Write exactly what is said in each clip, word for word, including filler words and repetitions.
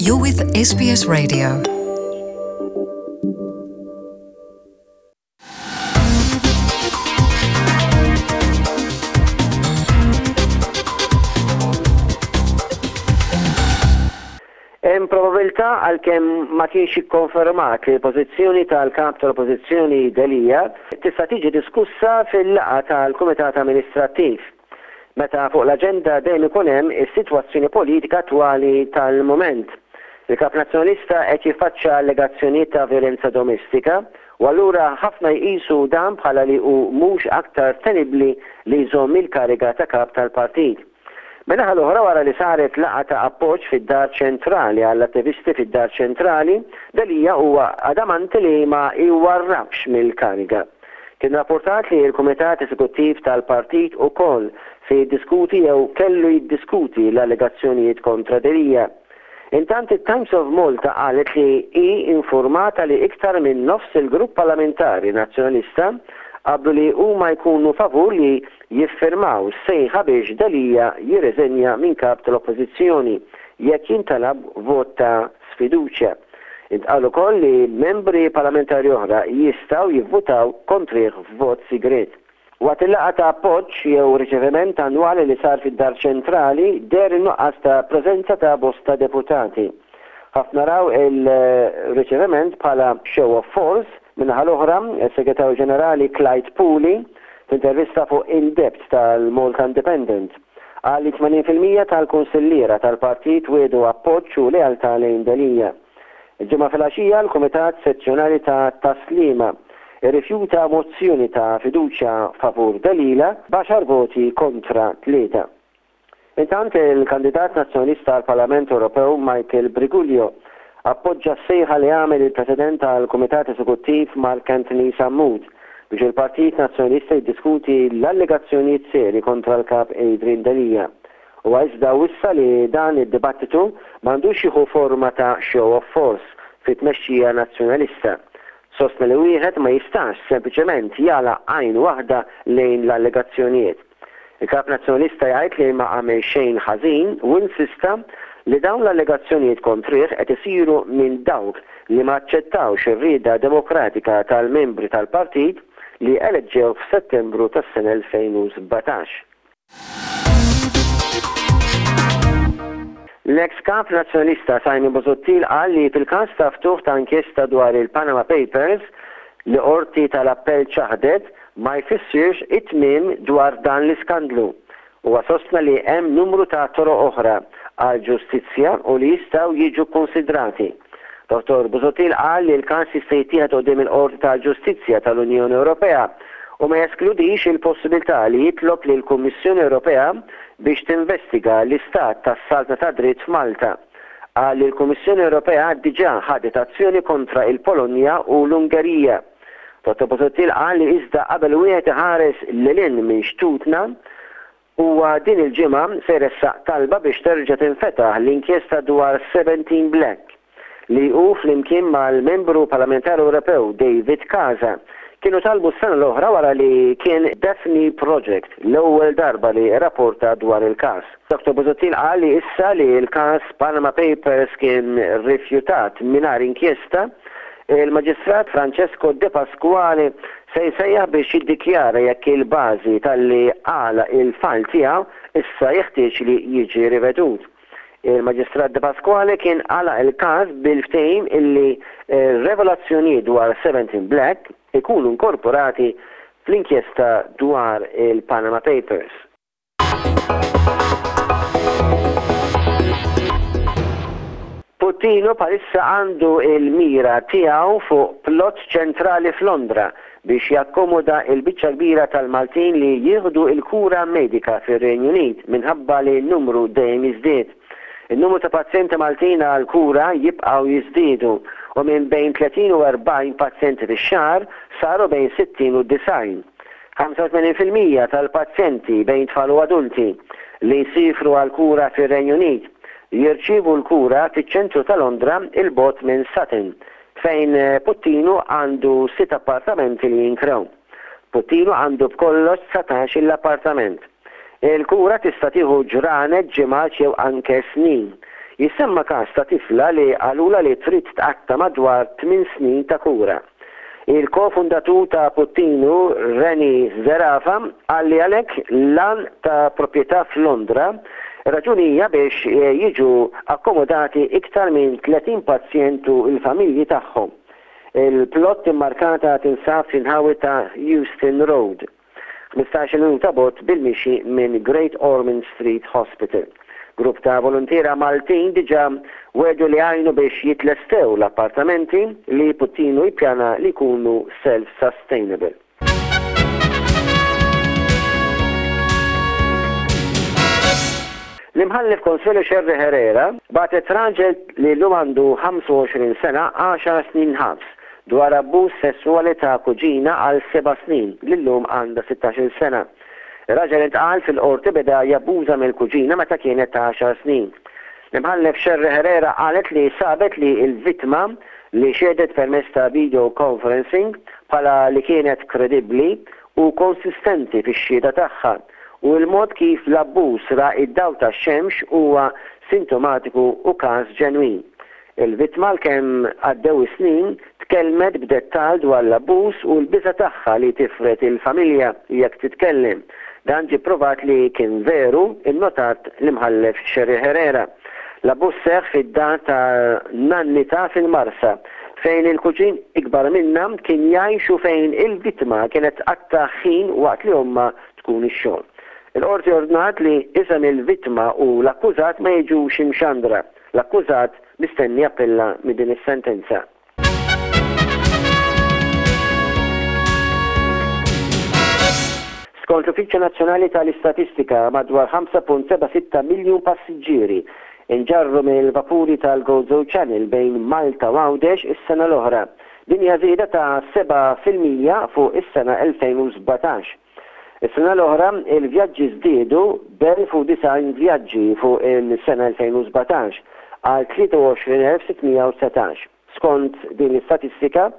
You're with S B S Radio. Hemm probabilità, għalkemm ma kienx ikkonfermat, li l-pożizzjoni tal-kap tal-Oppożizzjoni Delia tista' tiġi diskussa fil-laqgħa tal-Kumitat Amministrattiv, meta fuq l-aġenda dejjem ikun hemm is-sitwazzjoni politika attwali tal-mument. Il-kap nazzjonalista qed jiffaċċja allegazzjonijiet ta' violenza domestika u allura ħafna jqisu dan bħala li hu mhux aktar tenibbli li jżomm il-kariga ta' kap tal-partit. Min-naħa l-oħra, wara li saret laqgħa ta' appoġġ fid-Dar Ċentrali għall-attivisti fid-Dar Ċentrali, Delia huwa adamanti li ma jwarrabx mill-kariga. Kien rapportat li l-Kumitat Eżekuttiv tal-Partit ukoll se jiddiskuti jew kellu jiddiskuti l-allegazzjonijiet kontra Delia. Intant, it-Times of Malta qalet li hi informata li iktar minn nofs il-grupp parlamentari nazzjonalista qablu li huma jkunu favur li jiffirmaw sejħa biex Delia jirriżenja minn kap tal-Oppożizzjoni jekk jintalab vot ta' sfiduċja. Intqal ukoll li membri parlamentari oħra jistgħu jivvutaw kontrih f'vot sigret. Waqt il-laqgħa ta' appoġġ jew riċeviment annwali li sar fid-Dar Ċentrali deher in-nuqqas ta' preżenza ta' bosta deputati. Ħafna raw il-riċeviment bħala show of force. Min-naħa l-oħra, il-Segretarju Ġenerali Clyde Puli, f'intervista fuq In Depth tal-Malta Independent, qal li tmenin fil-mija tal-kunsilliera tal-partit wiegħdu appoġġ u lealtà lejn Delia. Il-Ġimgħa filgħaxija, l-Kumitat Sezzjonali ta' Tas-Sliema irrifjuta mozzjoni ta' fiduċja favur Delia b'għaxar voti kontra tlieta. Intant, il-kandidat nazzjonalista għal Parlament Ewropew Michael Briguglio appoġġa s-sejħa li għamel il-President tal-Kumitat Eżekuttiv Mark Anthony Sammut biex il-Partit Nazzjonalista jiddiskuti l-allegazzjonijiet seri kontra l-kap Adrian Delia. U iżda wissa li dan id-dibattitu m'għandux jieħu forma ta' show of force fit-tmexxija nazzjonalista. Sostna li wieħed ma jistax sempliċement jagħlaq għajn waħda lejn l-allegazzjonijiet. Il-kap nazzjonalista jgħid li ma għamel xejn ħażin u insista li dawn l-allegazzjonijiet kontrih qed isiru minn dawk li ma aċċettawx ir-rieda demokratika tal-membri tal-partit li eleġġew f'Settembru tas-sena elfejn u sbatax. L-ex kap nazzjonalista Simon Busuttil qal li fil-każ ta' ftuħ ta' inkjesta dwar il-Panama Papers li qorti tal-appell ċaħdet ma jfissirx it-tmiem dwar dan l-iskandlu. Huwa sostna li hemm numru ta' toroq oħra għal ġustizzja u li jistgħu jiġu konsidrati. Dottor Busuttil qal li l-każ jista' jittieħed quddiem il-Qorti tal-Ġustizzja tal-Unjoni Ewropea u ma jeskludix il-possibilità li jitlob li l-Kummissjoni Ewropea biex tinvestiga l-istat tas-saltna ta' dritt f'Malta. Qal li l-Kummissjoni Ewropea diġà ħadet azzjoni kontra il-Polonja u l-Ungerija. Dottor Busuttil qal li iżda qabel wieħed iħares lil hinn minn xtutna, huwa din il-ġimgħa se jressaq talba biex terġa' tinfetaħ l-inkjesta dwar seventeen Black li hu flimkien mal-membru parlamentari Ewropew David Casa kienu talbu s-sena l-oħra wara li kien Daphne Project l-ewwel darba li rapporta dwar il-każ. Dottor Busuttil qal li issa li l-każ Panama Papers kien rifjutat mingħajr inkjesta, il-Maġistrat Francesco De Pasquale se jsejjaħ biex jiddikjara jekk il-bażi talli għalaq il-file tiegħu issa jeħtieġ li jiġi rivedut. Il-Maġistrat De Pasquale kien għalaq il-każ bil-ftehim illi revelazzjoni dwar seventeen Black ikunu inkorporati fl-inkjesta dwar il-Panama Papers. Puttinu bħalissa għandu il-mira tiegħu fuq plot ċentrali f'Londra biex jakkomoda il-biċċa kbira tal-Maltin li jieħdu il-kura medika fir-Renju Unit minħabba li n-numru dejjem jiżdied. Il-numru ta' pazjenti Maltin għal kura jibqgħu jiżdiedu u minn bejn tletin u erbgħin pazjenti fix-xahar saru bejn sittin u disgħin. ħamsa u tmenin fil-mija tal-pazjenti bejn tfal u adulti li jsifru għal kura fir-Renju Unit jirċievu l-kura fiċ-ċentru ta' Londra, 'il bogħod minn Sutton, fejn Puttinu għandu sitt appartamenti li jinkrew. Puttinu għandu b'kollox dsatax l-appartament. Il-kura tista' tieħu ġranet, ġimgħat jew anke snin. Jissemma każ ta' tifla li qalulha li trid tqatta' madwar tmien snin ta' kura. Il-kofundatur ta' Puttinu, Rennie Zerafa, qal li għalhekk l-għan ta' proprjetà f'Londra raġuni hija biex jiġu akkomodati iktar minn tletin pazjent u l-familji tagħhom. Il-plot immarkata tinsab fl-inħawi ta' Euston Road, ħmistax-il minuta bogħod bil-mixi minn Great Ormond Street Hospital. Grupp ta' voluntiera Maltin diġà wegħdu li jgħinu biex jitlestew l-appartamenti li Puttinu jippjana li jkunu self-sustainable. L-Imħallef Consuelo Scerri Herrera bagħtet raġel li llum għandu ħamsa u għoxrin sena għaxar snin ħabs dwar abbuż sesswali ta' kuġina għal seba' snin li llum għandha sittax-il sena. Ir-raġel intqal fil-qorti beda jabbuża mill-kuġina meta kienet ta' għaxar snin. L-Imħallef Scerri Herrera qalet li sabet li l-vittma li xehdet permezz ta' video conferencing bħala li kienet kredibbli u konsistenti fix-xhieda tagħha u l-mod kif l-abbuż ra id-dawl tax-xemx huwa sintomatiku u każ ġenwin. Il-vittma għalkemm għaddew is-snin tkellmet b'dettall dwar l-abbuż u l-biża' tagħha li tifred il-familja jekk titkellem. Dan ġie pprovat li kien veru, innotat l-Imħallef Scerri Herrera. L-abbuż seħħ fid-dar ta' nannita fil-Marsa, fejn il-kuġin ikbar minnha kien jgħix u fejn il-vittma kienet tqatta' ħin waqt li ommha tkun ix-xogħol. Il-qorti ordnat li isem il-vittma u l-akkużat ma jiġux imxandra. L-akkużat mistenni jappella minn din is-sentenza. Skont l-Uffiċċju Nazzjonali tal-Istatistika, madwar ħamsa punt seba' sitta miljun passiġġieri inġarru mill-vapuri tal-Gozo Channel bejn Malta u Għawdex is-sena l-oħra. Din hija żieda ta' seba' fil-mija fuq is-sena elfejn u sbatax. Is-sena l-oħra, il-vjaġġi żdiedu b'elf u disgħin vjaġġi fuq il-sena elfejn u sbatax għal tlieta u għoxrin elf sitt mija u setax. Skont din l-istatistika,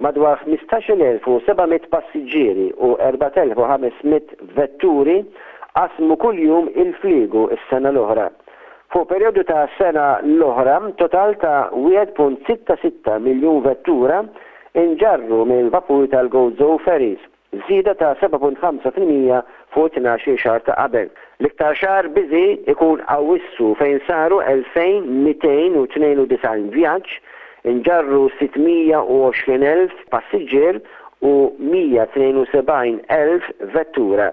madwar ħmistax-il elf u seba' mitt passiġġieri u erbat elf u ħames mitt vetturi qasmu kuljum il-fliegu s-sena l-oħra. Fuq perjodu ta' sena l-oħra, total ta' wieħed punt sitta sitta miljun vettura inġarru mill-vapuri tal-Gozo Ferries, żieda ta' seba' punt ħamsa fil-mija fuq tnax-il xahar ta' qabel. L-iktar xahar busy ikun Awwissu fejn saru elfejn mitejn u tnejn u disgħin vjaġġ, inġarru sitt mija u għoxrin elf passiġġier u mija tnejn u sebgħin elf vettura.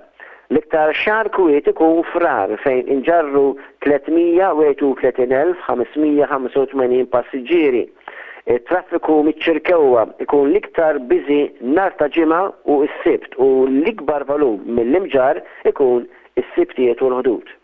L-iktar xahar kwiet ikun Frar fejn inġarru tliet mija u wieħed u tletin elf ħames mija ħamsa u tmenin passiġġieri. Il-traffiku miċ-Ċirkewwa ikun l-iktar busy nhar ta' Ġimgħa u s-Sibt u l-ikbar volum mill-Imġarr ikun is-Sibtijiet u l-Ħdud.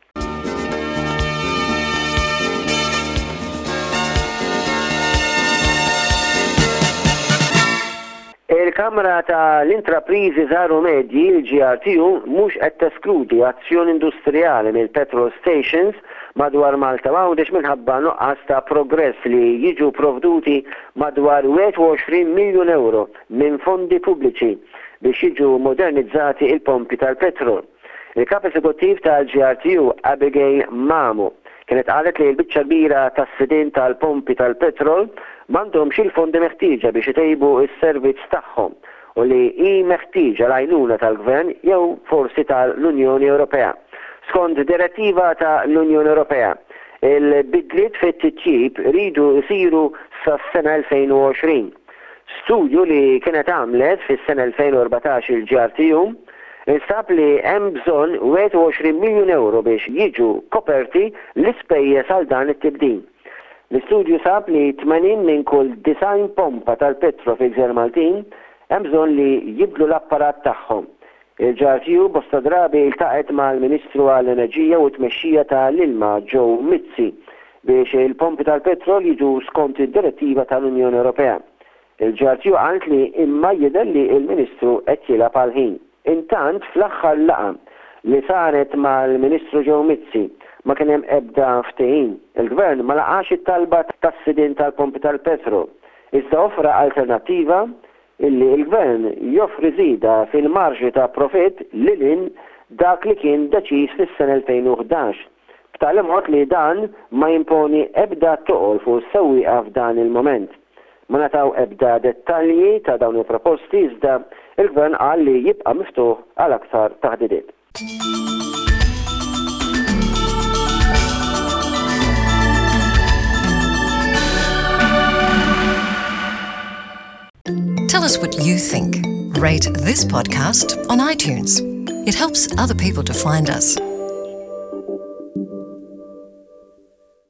Il-Kamra tal-Intrapriżi Żgħar u Medji, il-G R T U, mhux qed teskludi azzjoni industrijali mill-petrol stations madwar Malta u Għawdex minħabba nuqqas ta' progress li jiġu provduti madwar wieħed u għoxrin miljun euro minn fondi pubbliċi biex jiġu modernizzati il-pompi tal-petrol. Il-kap eżekuttiv tal-G R T U, Abigail Mamo, kienet qalet li l-biċċa kbira tas-sidien tal-pompi tal-petrol m'għandhomx il-fondi meħtieġa biex itejbu s-servizz tagħhom u li hi meħtieġa l-għajnuna tal-Gvern jew forsi tal-Unjoni Ewropea. Skont direttiva tal-Unjoni Ewropea, il-bidliet fit-titjib iridu jsiru sas-sena elfejn u għoxrin. Studju li kienet għamlet fis-sena elfejn u erbatax il-G R T U instab li hemm bżonn wieħed u għoxrin miljun euro biex jiġu koperti l-ispejjeż għal dan it-tibdil. L-istudju sab li tmenin minn kull disgħin pompa tal-petro fil-Gżejjer Maltin hemm bżonn li jibdlu l-apparat tagħhom. Il-G R T U bosta drabi iltaqgħet mal-Ministru għall-Enerġija u t-Tmexxija tal-Ilma Joe Mizzi biex il-pompi tal-petrol jiġu skont id-direttiva tal-Unjoni Ewropea. Il-G R T U qalet li imma jidher li l-Ministru qed jilgħab għal ħin. Intant fl-aħħar laqgħa li saret mal-Ministru Joe Mizzi ma kien hemm ebda ftehim. Il-Gvern ma laqax it-talba tas-sidien tal-pompi tal-petrol, iżda offra alternattiva illi l-Gvern joffri żieda fil-marġni ta' profitt lil hinn dak li kien deċiż fis-sena elfejn u ħdax, B'tali mod li dan ma jimponi ebda toqol fuq is-sewwieqa f'dan il-moment. Ma ngħataw ebda dettalji ta' dawn il-proposti, iżda il-gvern qal li jibqa' miftuħ għal aktar taħdidiet. Tell us what you think. Rate this podcast on iTunes. It helps other people to find us.